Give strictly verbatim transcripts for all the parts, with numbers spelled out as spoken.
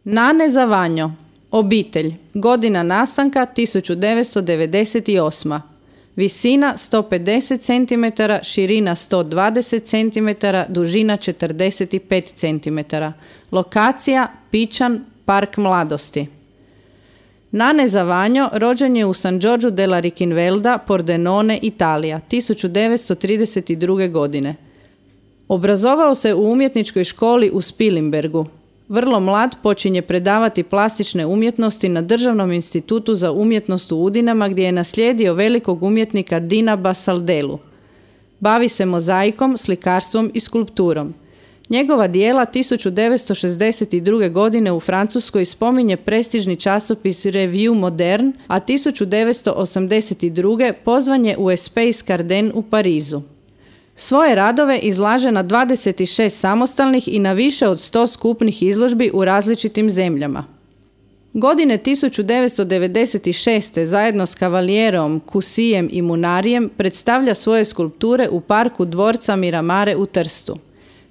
Nane Zavanjo, obitelj, godina nastanka tisuću devetsto devedeset osma. Visina sto pedeset centimetara, širina sto dvadeset centimetara, dužina četrdeset pet centimetara. Lokacija Pičan, Park mladosti. Nane Zavanjo rođen je u San Giorgio della Riccinvelda, Pordenone, Italija, tisuću devetsto trideset druge. godine. Obrazovao se u umjetničkoj školi u Spilimbergu. Vrlo mlad počinje predavati plastične umjetnosti na Državnom institutu za umjetnost u Udinama, gdje je naslijedio velikog umjetnika Dina Basaldelu. Bavi se mozaikom, slikarstvom i skulpturom. Njegova dijela tisuću devetsto šezdeset druge. godine u Francuskoj spominje prestižni časopis Revue Moderne, a tisuću devetsto osamdeset druge. pozvan je u Espace Garden u Parizu. Svoje radove izlaže na dvadeset šest samostalnih i na više od sto skupnih izložbi u različitim zemljama. Godine tisuću devetsto devedeset šeste. zajedno s Cavalierom, Cusijem i Munarijem predstavlja svoje skulpture u parku dvorca Miramare u Trstu.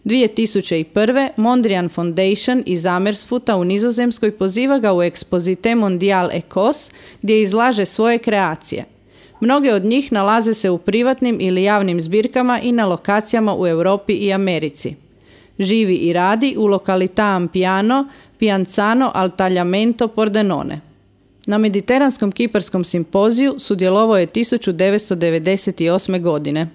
dvije tisuće prve. Mondrian Foundation iz Amersfoorta u Nizozemskoj poziva ga u Exposité Mondial Ecos, gdje izlaže svoje kreacije. Mnoge od njih nalaze se u privatnim ili javnim zbirkama i na lokacijama u Europi i Americi. Živi i radi u lokalità Ampiano, Pianzano al Tagliamento, Pordenone. Na Mediteranskom kiparskom simpoziju sudjelovao je tisuću devetsto devedeset osme. godine.